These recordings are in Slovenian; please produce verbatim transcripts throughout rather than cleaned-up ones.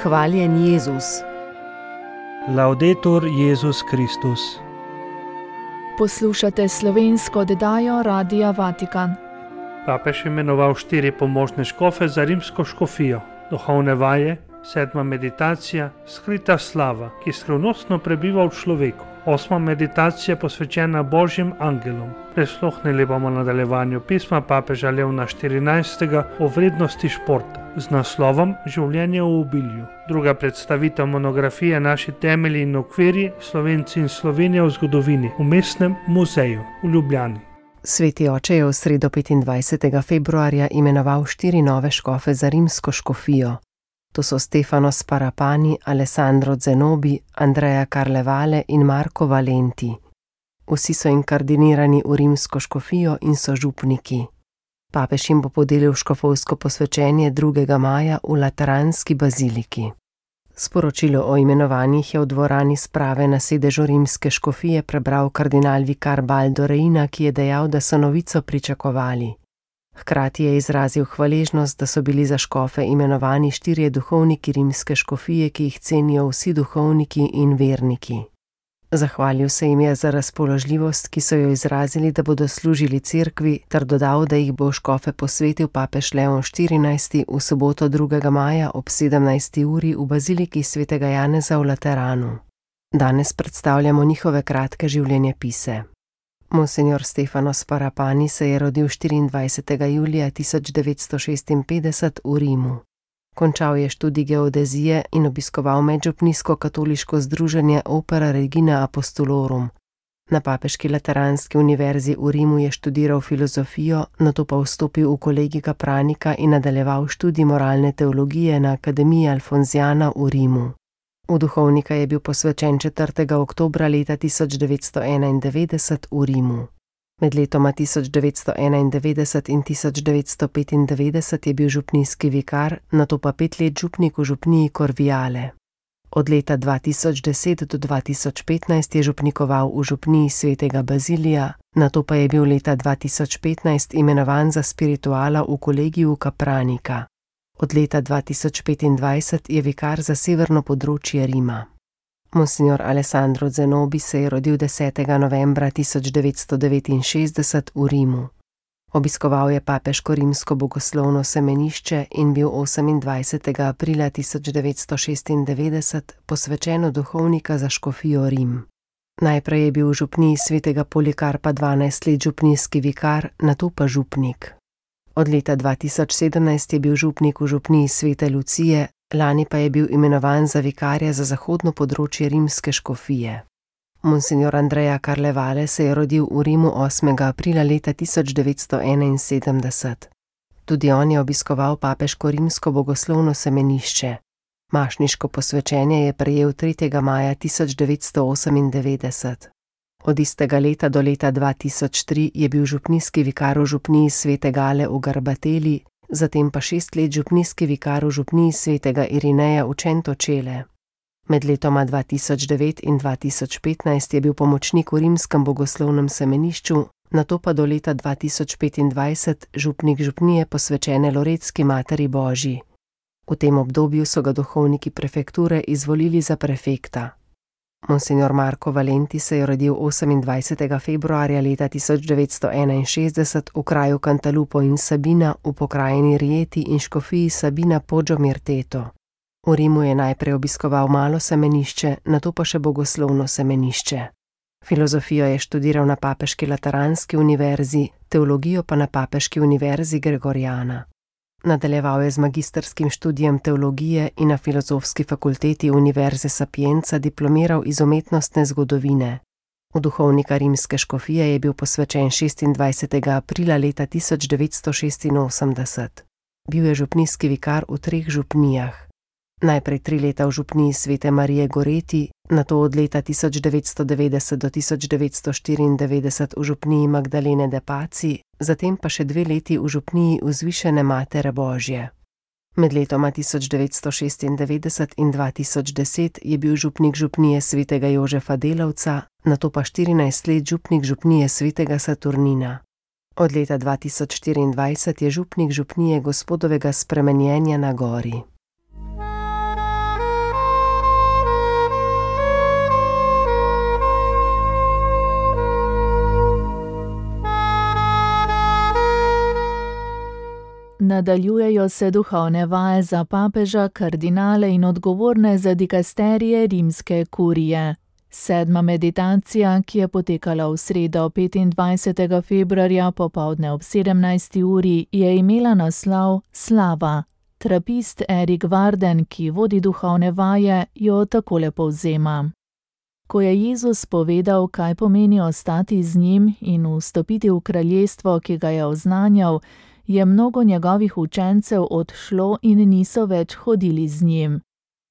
Hvaljen Jezus. Laudetur Jezus Kristus. Poslušate slovensko oddajo Radia Vatikan. Papež je imenoval štiri pomožne škofe za rimsko škofijo. Duhovne vaje, sedma meditacija, skrita slava, ki skrivnostno prebiva v človeku. Osma meditacija posvečena Božjim angelom. Prisluhnili bomo nadaljevanju pisma papeža Leona štirinajstega o vrednosti športa z naslovom Življenje v obilju. Druga predstavitev monografije Naši temelji in okvirji, Slovenci in Slovenija v zgodovini v Mestnem muzeju v Ljubljani. Sveti oče je v sredo petindvajsetega februarja imenoval štiri nove škofe za rimsko škofijo. To so Stefano Sparapani, Alessandro Zenobi, Andrea Carlevale in Marco Valenti. Vsi so inkardinirani v rimsko škofijo in so župniki. Papež jim bo podelil škofovsko posvečenje drugega maja v Lateranski baziliki. Sporočilo o imenovanjih je v dvorani sprave na sedežu rimske škofije prebral kardinal vikar Baldo Reina, ki je dejal, da so novico pričakovali. Hkrati je izrazil hvaležnost, da so bili za škofe imenovani štirje duhovniki rimske škofije, ki jih cenijo vsi duhovniki in verniki. Zahvalil se jim je za razpoložljivost, ki so jo izrazili, da bodo služili cerkvi, ter dodal, da jih bo škofe posvetil papež Leon štirinajsti v soboto drugega maja ob sedemnajsti uri v baziliki svetega Janeza v Lateranu. Danes predstavljamo njihove kratke življenjepise. Monsignor Stefano Sparapani se je rodil štiriindvajsetega julija tisoč devetsto šestinpetdeset v Rimu. Končal je študij geodezije in obiskoval medžupnijsko katoliško združenje Opera Regina Apostolorum. Na papeški Lateranski univerzi v Rimu je študiral filozofijo, nato pa vstopil v kolegij kapranika in nadaljeval študij moralne teologije na Akademiji Alfonziana v Rimu. V duhovnika je bil posvečen četrtega oktobra leta tisoč devetsto enaindevetdeset v Rimu. Med letoma tisoč devetsto enaindevetdeset in tisoč devetsto petindevetdeset je bil župnijski vikar, nato pa pet let župnik v župniji Corviale. Od leta dva tisoč deset do dva tisoč petnajst je župnikoval v župniji svetega Bazilija, nato pa je bil leta dva tisoč petnajst imenovan za spirituala v kolegiju kapranika. Od leta dva tisoč petindvajset je vikar za severno področje Rima. Monsignor Alessandro Zenobi se je rodil desetega novembra tisoč devetsto devetinšestdeset v Rimu. Obiskoval je papeško rimsko bogoslovno semenišče in bil osemindvajsetega aprila tisoč devetsto šestindevetdeset posvečen duhovnika za škofijo Rim. Najprej je bil v župniji svetega Polikarpa dvanajst let župnijski vikar, nato pa župnik. Od leta dva tisoč sedemnajst je bil župnik v župniji svete Lucije, lani pa je bil imenovan za vikarja za zahodno področje rimske škofije. Monsignor Andrea Carlevale se je rodil v Rimu osmega aprila leta tisoč devetsto enainsedemdeset. Tudi on je obiskoval papeško rimsko bogoslovno semenišče. Mašniško posvečenje je prejel tretjega maja tisoč devetsto osemindevetdeset. Od istega leta do leta dva tisoč tri je bil župnijski vikar v župniji svete Gale v Garbateli, zatem pa šest let župnijski vikar v župniji svetega Irineja v Centocele. Med letoma dva tisoč devet in dva tisoč petnajst je bil pomočnik v rimskem bogoslovnem semenišču, nato pa do leta dva tisoč petindvajset župnik župnije posvečene Loretski Materi Božji. V tem obdobju so ga duhovniki prefekture izvolili za prefekta. Monsignor Marco Valenti se je rodil osemindvajsetega februarja leta tisoč devetsto enainšestdeset v kraju Cantalupo in Sabina v pokrajini Rieti in škofiji Sabina Poggio Mirteto. V Rimu je najprej obiskoval malo semenišče, nato pa še bogoslovno semenišče. Filozofijo je študiral na papeški Lateranski univerzi, teologijo pa na papeški univerzi Gregoriana. Nadaljeval je z magisterskim študijem teologije in na filozofski fakulteti Univerze Sapienza diplomiral iz umetnostne zgodovine. V duhovnika rimske škofije je bil posvečen šestindvajsetega aprila leta tisoč devetsto šestinosemdeset. Bil je župnijski vikar v treh župnijah. Najprej tri leta v župniji svete Marije Goreti, nato od leta tisoč devetsto devetdeset do tisoč devetsto štiriindevetdeset v župniji Magdalene de Pazzi, zatem pa še dve leti v župniji Vzvišene Matere Božje. Med letoma tisoč devetsto šestindevetdeset in dva tisoč deset je bil župnik župnije svetega Jožefa Delavca, nato pa štirinajst let župnik župnije svetega Saturnina. Od leta dva tisoč štiriindvajset je župnik župnije Gospodovega spremenjenja na gori. Nadaljujejo se duhovne vaje za papeža, kardinale in odgovorne za dikasterije rimske kurije. Sedma meditacija, ki je potekala v sredo petindvajsetega februarja popoldne ob sedemnajsti uri, je imela naslov Slava. Trapist Erik Varden, ki vodi duhovne vaje, jo takole povzema. Ko je Jezus povedal, kaj pomeni ostati z njim in vstopiti v kraljestvo, ki ga je oznanjal, je mnogo njegovih učencev odšlo in niso več hodili z njim.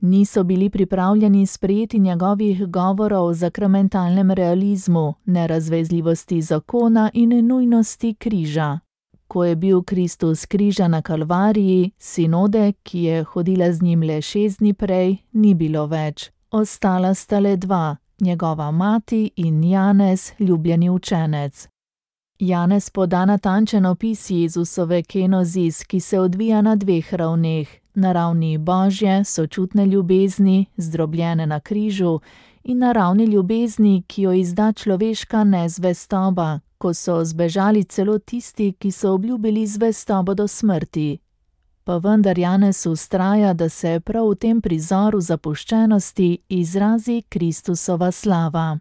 Niso bili pripravljeni sprejeti njegovih govorov o zakramentalnem realizmu, nerazvezljivosti zakona in nujnosti križa. Ko je bil Kristus križan na Kalvariji, sinode, ki je hodila z njim le šest dni prej, ni bilo več. Ostala sta le dva, njegova mati in Janez, ljubljeni učenec. Janez poda natančen opis Jezusove kenozis, ki se odvija na dveh ravneh, na ravni božje, sočutne ljubezni, zdrobljene na križu, in na ravni ljubezni, ki jo izda človeška nezvestoba, ko so zbežali celo tisti, ki so obljubili zvestobo do smrti. Pa vendar Janez vztraja, da se prav v tem prizoru zapuščenosti izrazi Kristusova slava.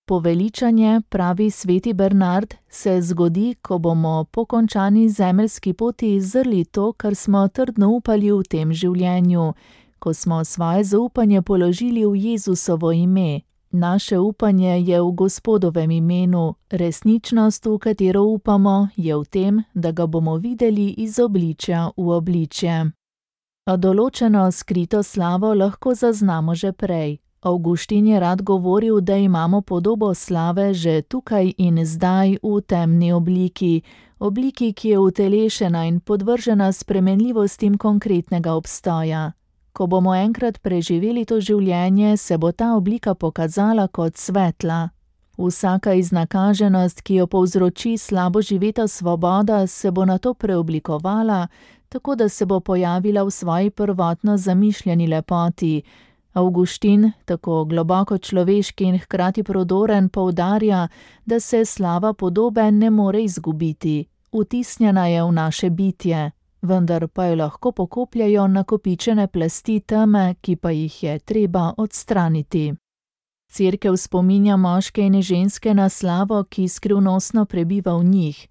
Poveličanje, pravi sveti Bernard, se zgodi, ko bomo po končani zemeljski poti zrli to, kar smo trdno upali v tem življenju, ko smo svoje zaupanje položili v Jezusovo ime. Naše upanje je v Gospodovem imenu, resničnost, v katero upamo, je v tem, da ga bomo videli iz obličja v obličje. A določeno skrito slavo lahko zaznamo že prej. Avguštin je rad govoril, da imamo podobo slave že tukaj in zdaj v temni obliki, obliki, ki je utelešena in podvržena spremenljivostim konkretnega obstoja. Ko bomo enkrat preživeli to življenje, se bo ta oblika pokazala kot svetla. Vsaka iznakaženost, ki jo povzroči slabo živeta svoboda, se bo nato preoblikovala, tako da se bo pojavila v svoji prvotno zamišljeni lepoti. Avguštin, tako globoko človeški in hkrati prodoren, poudarja, da se slava podobe ne more izgubiti. Vtisnjena je v naše bitje, vendar pa jo lahko pokopljajo nakopičene plasti teme, ki pa jih je treba odstraniti. Cerkev spominja moške in ženske na slavo, ki skrivnostno prebiva v njih.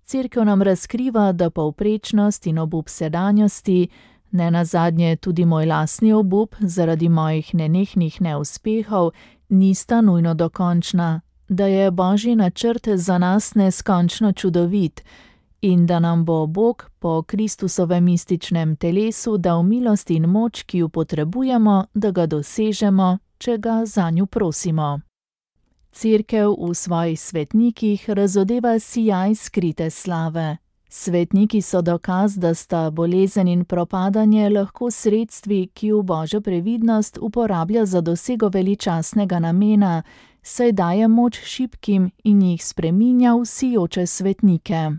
Cerkev nam razkriva, da povprečnost in obup sedanjosti, ne nazadnje tudi moj lastni obup zaradi mojih nenehnih neuspehov, nista nujno dokončna, da je Božji načrt za nas neskončno čudovit in da nam bo Bog po Kristusovem mističnem telesu dal milost in moč, ki jo potrebujemo, da ga dosežemo, če ga zanju prosimo. Cerkev v svojih svetnikih razodeva sijaj skrite slave. Svetniki so dokaz, da sta bolezen in propadanje lahko sredstvi, ki v Božjo previdnost uporablja za dosego veličastnega namena, saj daje moč šibkim in jih spreminja v sijoče svetnike.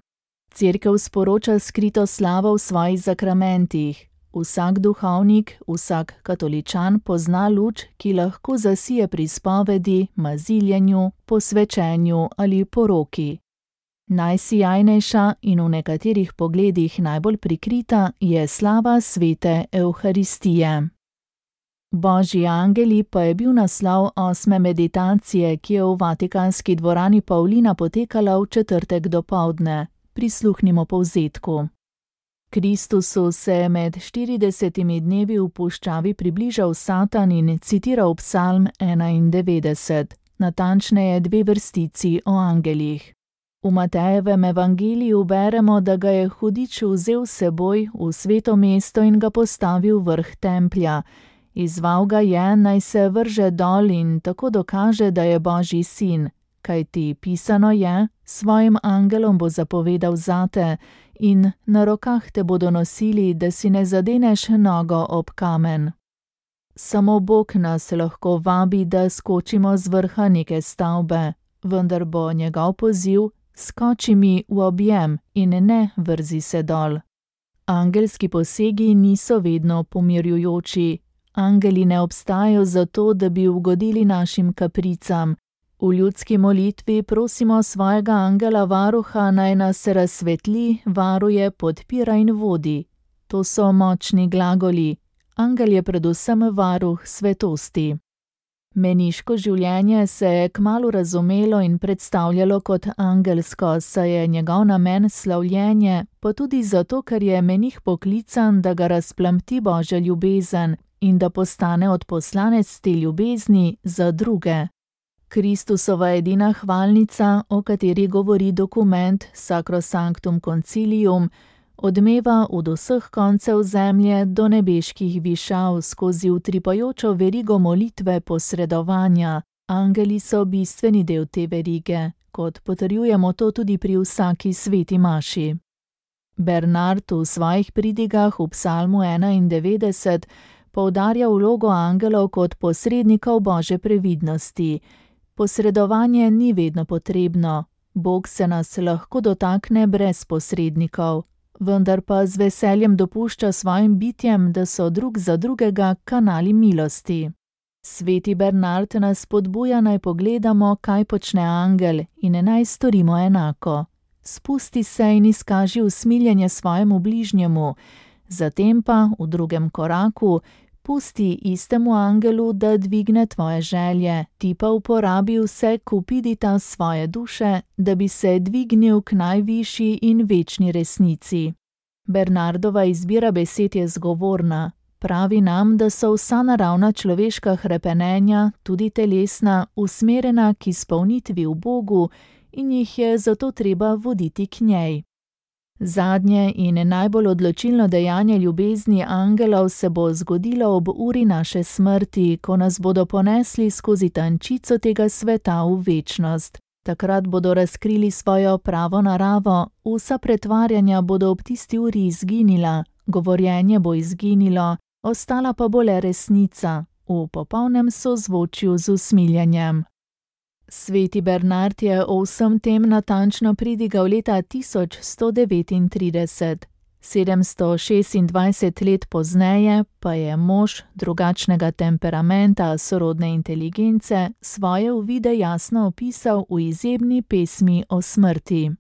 Cerkev sporoča skrito slavo v svojih zakramentih. Vsak duhovnik, vsak katoličan pozna luč, ki lahko zasije pri spovedi, maziljenju, posvečenju ali poroki. Najsijajnejša in v nekaterih pogledih najbolj prikrita je slava svete Evharistije. Božji angeli pa je bil naslov osme meditacije, ki je v vatikanski dvorani Pavlina potekala v četrtek dopoldne. Prisluhnimo povzetku. Kristusu se je med štiridesetimi dnevi v puščavi približal Satan in citiral psalm enaindevetdeset, natančneje dve vrstici o angelih. V Matejevem evangeliju beremo, da ga je hudič vzel s seboj v sveto mesto in ga postavil vrh templja. Izzval ga je, naj se vrže dol in tako dokaže, da je Božji sin, kajti pisano je, svojim angelom bo zapovedal zate in na rokah te bodo nosili, da si ne zadeneš nogo ob kamen. Samo Bog nas lahko vabi, da skočimo z vrha neke stavbe, vendar bo njegov poziv: skoči mi v objem in ne vrzi se dol. Angelski posegi niso vedno pomirjujoči. Angeli ne obstajajo zato, da bi ugodili našim kapricam. V ljudski molitvi prosimo svojega angela varuha, naj nas razsvetli, varuje, podpira in vodi. To so močni glagoli. Angel je predvsem varuh svetosti. Meniško življenje se je kmalu razumelo in predstavljalo kot angelsko, saj je njegov namen slavljenje, pa tudi zato, ker je menih poklican, da ga razplamti Božja ljubezen in da postane odposlanec te ljubezni za druge. Kristusova edina hvalnica, o kateri govori dokument Sacrosanctum Concilium, odmeva od vseh koncev zemlje do nebeških višav skozi utripajočo verigo molitve posredovanja. Angeli so bistveni del te verige, kot potrjujemo to tudi pri vsaki sveti maši. Bernard v svojih pridigah v psalmu enaindevetdeset poudarja vlogo angelov kot posrednikov Božje previdnosti. Posredovanje ni vedno potrebno. Bog se nas lahko dotakne brez posrednikov, vendar pa z veseljem dopušča svojim bitjem, da so drug za drugega kanali milosti. Sveti Bernard nas spodbuja, naj pogledamo, kaj počne angel, in naj storimo enako. Spusti se in izkaži usmiljenje svojemu bližnjemu, zatem pa v drugem koraku pusti istemu angelu, da dvigne tvoje želje, ti pa uporabi vse kupidita svoje duše, da bi se dvignil k najvišji in večni resnici. Bernardova izbira besed je zgovorna. Pravi nam, da so vsa naravna človeška hrepenenja, tudi telesna, usmerjena k izpolnitvi v Bogu in jih je zato treba voditi k njej. Zadnje in najbolj odločilno dejanje ljubezni angelov se bo zgodilo ob uri naše smrti, ko nas bodo ponesli skozi tančico tega sveta v večnost. Takrat bodo razkrili svojo pravo naravo, vsa pretvarjanja bodo ob tisti uri izginila, govorjenje bo izginilo, ostala pa bo le resnica, v popolnem sozvočju z usmiljenjem. Sveti Bernard je o vsem tem natančno pridigal leta tisoč sto devetintrideset. sedemsto šestindvajset let pozneje pa je mož drugačnega temperamenta, sorodne inteligence, svoje uvide jasno opisal v izjemni pesmi o smrti.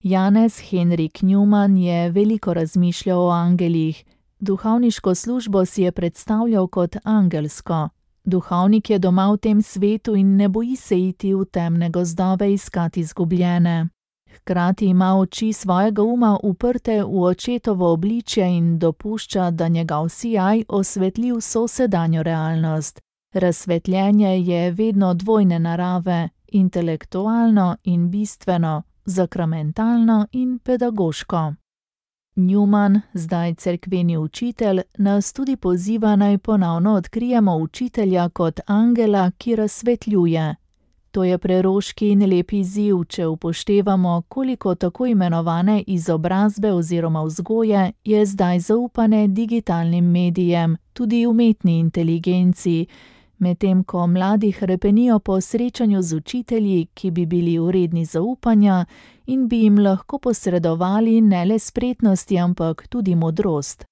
Janez Henrik Newman je veliko razmišljal o angelih. Duhovniško službo si je predstavljal kot angelsko. Duhovnik je doma v tem svetu in ne boji se iti v temne gozdove iskati izgubljene. Hkrati ima oči svojega uma uprte v očetovo obličje in dopušča, da njegov sijaj osvetli vso sedanjo realnost. Razsvetljenje je vedno dvojne narave, intelektualno in bistveno, sakramentalno in pedagoško. Newman, zdaj cerkveni učitelj, nas tudi poziva, naj ponovno odkrijemo učitelja kot angela, ki razsvetljuje. To je preroški in lep izziv, če upoštevamo, koliko tako imenovane izobrazbe oziroma vzgoje je zdaj zaupane digitalnim medijem, tudi umetni inteligenci, medtem ko mladi hrepenijo po srečanju z učitelji, ki bi bili vredni zaupanja in bi jim lahko posredovali ne le spretnosti, ampak tudi modrost.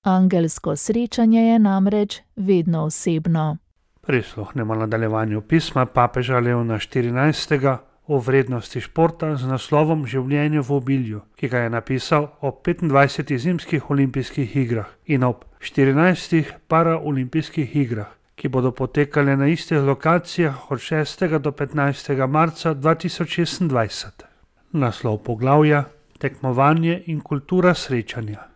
Angelsko srečanje je namreč vedno osebno. Prisluhnemo nadaljevanju pisma papeža Leona štirinajstega o vrednosti športa z naslovom Življenje v obilju, ki ga je napisal ob petindvajsetih zimskih olimpijskih igrah in ob štirinajstih paraolimpijskih igrah, ki bodo potekale na istih lokacijah od šestega do petnajstega marca dva tisoč šestindvajset. Naslov poglavja: Tekmovanje in kultura srečanja.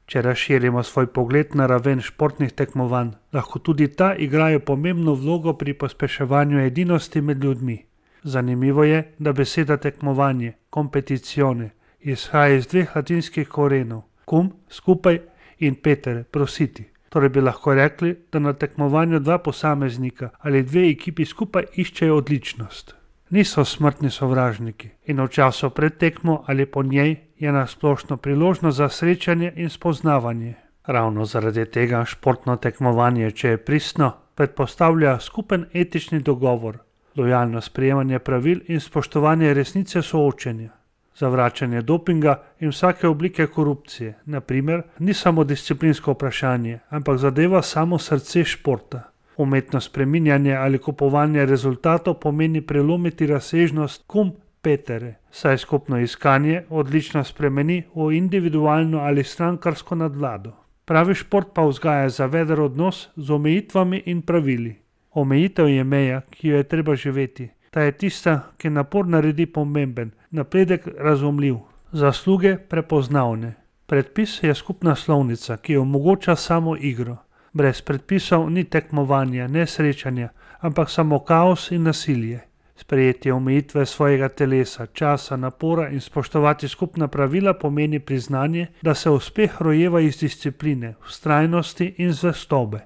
Če razširimo svoj pogled na raven športnih tekmovanj, lahko tudi ta igrajo pomembno vlogo pri pospeševanju edinosti med ljudmi. Zanimivo je, da beseda tekmovanje, competizione, izhaja iz dveh latinskih korenov, cum, skupaj, in petere, prositi. Torej bi lahko rekli, da na tekmovanju dva posameznika ali dve ekipi skupaj iščejo odličnost. Niso smrtni sovražniki in v času pred tekmo ali po njej je nasplošno priložnost za srečanje in spoznavanje. Ravno zaradi tega športno tekmovanje, če je pristno, predpostavlja skupen etični dogovor, lojalno sprejemanje pravil in spoštovanje resnice soočenja. Zavračanje dopinga in vsake oblike korupcije, na primer, ni samo disciplinsko vprašanje, ampak zadeva samo srce športa. Umetno spreminjanje ali kupovanje rezultatov pomeni prelomiti razsežnost kompetere, saj skupno iskanje odlično spremeni v individualno ali strankarsko nadvlado. Pravi šport pa vzgaja zaveden odnos z omejitvami in pravili. Omejitev je meja, ki jo je treba živeti. Ta je tista, ki napor naredi pomemben, napredek razumljiv, zasluge prepoznavne. Predpis je skupna slovnica, ki omogoča samo igro. Brez predpisov ni tekmovanja, ne srečanja, ampak samo kaos in nasilje. Sprejeti omejitve svojega telesa, časa, napora in spoštovati skupna pravila pomeni priznanje, da se uspeh rojeva iz discipline, vztrajnosti in zvestobe.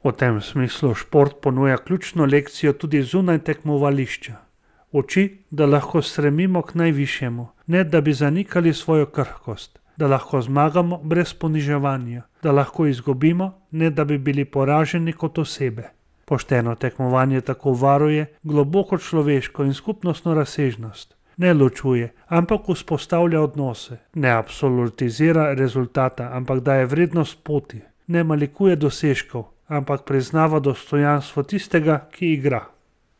V tem smislu šport ponuja ključno lekcijo tudi zunaj tekmovališča. Uči, da lahko stremimo k najvišjemu, ne da bi zanikali svojo krhkost, da lahko zmagamo brez poniževanja, da lahko izgubimo, ne da bi bili poraženi kot osebe. Pošteno tekmovanje tako varuje globoko človeško in skupnostno razsežnost. Ne ločuje, ampak vzpostavlja odnose. Ne absolutizira rezultata, ampak daje vrednost poti. Ne malikuje dosežkov, ampak priznava dostojanstvo tistega, ki igra.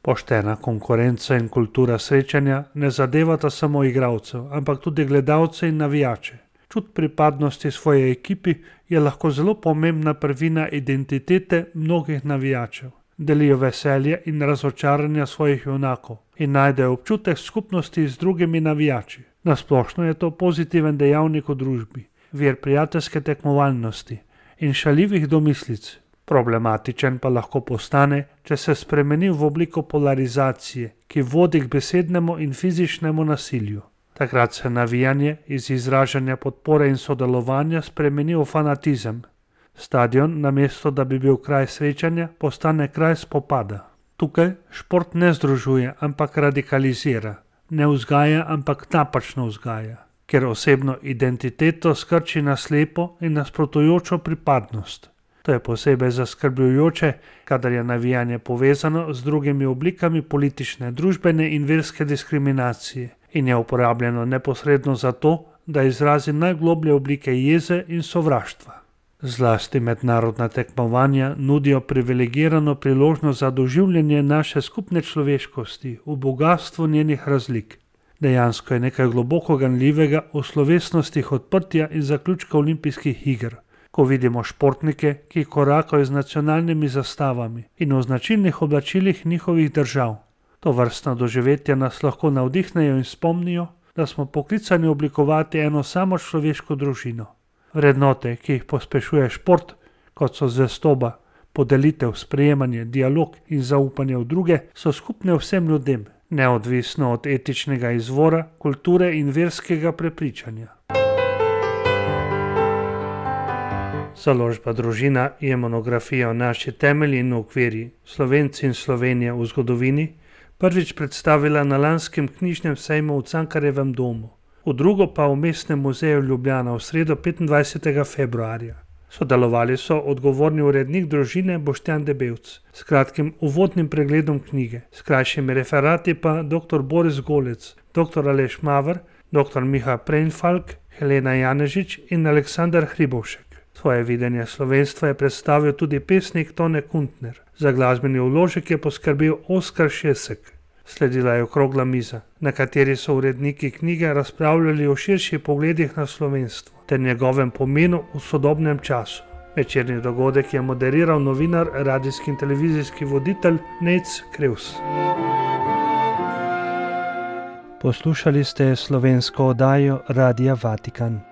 Poštena konkurenca in kultura srečanja ne zadevata samo igralcev, ampak tudi gledalce in navijače. Čut pripadnosti svoje ekipi je lahko zelo pomembna prvina identitete mnogih navijačev. Delijo veselje in razočaranja svojih junakov in najdejo občutek skupnosti z drugimi navijači. Nasplošno je to pozitiven dejavnik v družbi, vir prijateljske tekmovalnosti in šaljivih domislic. Problematičen pa lahko postane, če se spremeni v obliko polarizacije, ki vodi k besednemu in fizičnemu nasilju. Takrat se navijanje iz izražanja podpore in sodelovanja spremeni v fanatizem. Stadion, namesto da bi bil kraj srečanja, postane kraj spopada. Tukaj šport ne združuje, ampak radikalizira. Ne vzgaja, ampak napačno vzgaja. Ker osebno identiteto skrči na slepo in nasprotujočo pripadnost. To je posebej zaskrbljujoče, kadar je navijanje povezano z drugimi oblikami politične, družbene in verske diskriminacije in je uporabljeno neposredno zato, da izrazi najgloblje oblike jeze in sovraštva. Zlasti mednarodna tekmovanja nudijo privilegirano priložnost za doživljanje naše skupne človeškosti v bogastvu njenih razlik. Dejansko je nekaj globoko ganljivega v slovesnostih odprtja in zaključka olimpijskih iger, ko vidimo športnike, ki korakajo z nacionalnimi zastavami in v značilnih oblačilih njihovih držav. To vrstna doživetja nas lahko navdihnejo in spomnijo, da smo poklicani oblikovati eno samo človeško družino. Vrednote, ki jih pospešuje šport, kot so zvestoba, podelitev, sprejemanje, dialog in zaupanje v druge, so skupne vsem ljudem, neodvisno od etičnega izvora, kulture in verskega prepričanja. Založba Družina je monografija o naši temelji in okviri, Slovenci in Slovenija v zgodovini, prvič predstavila na lanskem knjižnem sejmu v Cankarjevem domu, v drugo pa v Mestnem muzeju Ljubljana v sredo petindvajsetega februarja. Sodelovali so odgovorni urednik Družine Boštjan Debevc s kratkim uvodnim pregledom knjige, s krajšimi referati pa dr. Boris Golec, dr. Aleš Maver, dr. Miha Preinfalk, Helena Janežič in Aleksandar Hribovšek. Svoje videnje slovenstva je predstavil tudi pesnik Tone Kuntner. Za glasbeni vložek je poskrbel Oskar Šesek. Sledila je okrogla miza, na kateri so uredniki knjige razpravljali o širših pogledih na slovenstvo ter njegovem pomenu v sodobnem času. Večerni dogodek je moderiral novinar, radijski in televizijski voditelj Nejc Krevs. Poslušali ste slovensko oddajo Radia Vatikan.